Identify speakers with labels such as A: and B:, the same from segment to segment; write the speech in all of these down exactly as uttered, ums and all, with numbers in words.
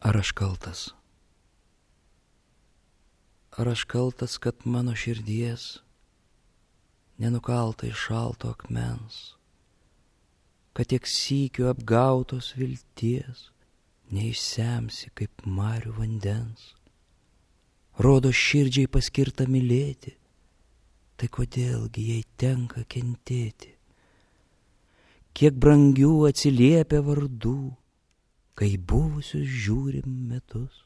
A: Ar aš kaltas? Ar aš kaltas, kad mano širdies nenukalta iš šalto akmens, kad tiek sykių apgautos vilties neišsemsi kaip marių vandens? Rodo širdžiai paskirta mylėti, tai kodėlgi jai tenka kentėti? Kiek brangių atsiliepia vardų, kai buvusius žiūrim metus,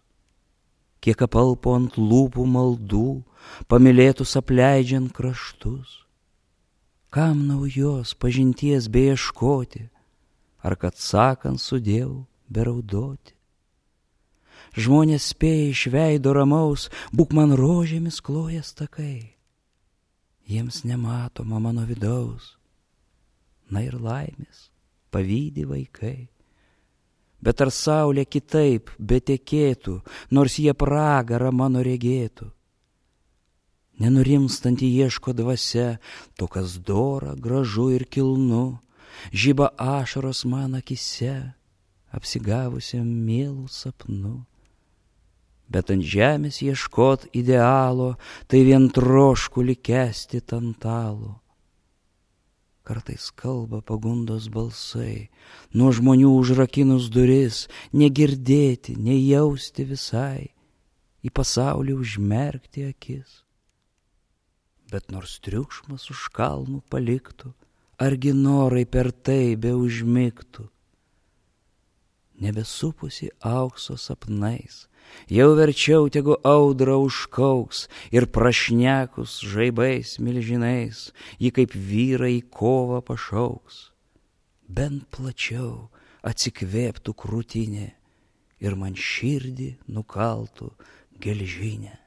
A: kiek apalpo ant lūpų maldų, pamylėtus apleidžiant kraštus. Kam naujos pažinties beieškoti, ar kad sakant sudiev beraudoti? Žmonės spėja iš veido ramaus, būk man rožėmis klojas takai. Jiems nematoma mano vidaus, na ir laimės pavydi vaikai. Bet ar saulė kitaip betekėtų, nors jie pragarą mano regėtų? Nenurimstanti ieško dvasia, to kas dora, gražu ir kilnu, žiba ašaros man akise, apsigavusiam mielų sapnu. Bet ant žemės ieškot idealo, tai vien troškulį kęsti tantalo. Kartais kalba pagundos balsai, nuo žmonių užrakinus duris, negirdėti, nejausti visai, į pasaulį užmerkti akis. Bet nors triukšmas už kalnų paliktų, argi norai per tai be užmigtų? Nebesupusi aukso sapnais, jau verčiau tegu audra užkauks ir prašnekus žaibais milžinais, ji kaip vyrai į kovą pašauks. Bent plačiau atsikvėptų krūtinė ir man širdį nukaltų gelžinė.